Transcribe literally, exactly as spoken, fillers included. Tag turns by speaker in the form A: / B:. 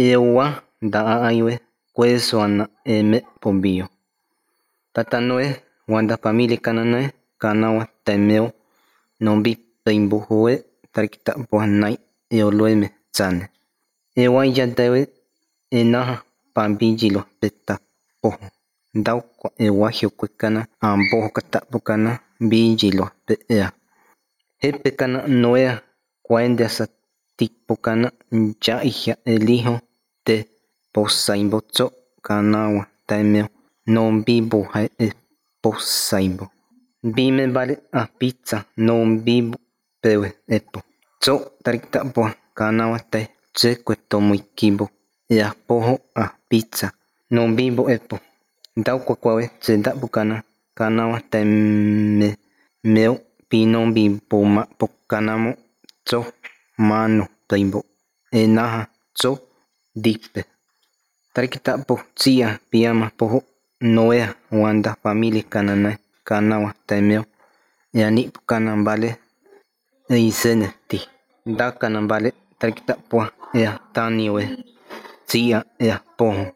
A: Ewa nda'a aywe kuesoana eme pombio. Tata Noé wanda familia kana Noé kanawa temeo nombi peimbujoe tarikita buanai eoloeme tsane. Ewa yadewe enaha pambijilo peta poho. Ndauko ewa hiukwekana amboho katapukana bijilo pe'ea. Hepe kana Noé kuende asa tipukana njaihia elijo te posaimbotso kanawa temeo nombi buhae e posaimbo. Bime vale a pizza nombi pewe epo. Tso tarikita bua kanawa te tse kuetomuikibo ea poho a pizza nombi bo epo. Ndauko kwawe tse ndabukana kanawa teme meo pinombi poma pokanamo tso mano peimbo enaha tso dipe. Tarikita po tsia piama poho Noé wanda familia kana Noé kanawa temeo eani kana vale eisene ti. Ndakana vale tarikita pua ea taniwe tsia ea poho.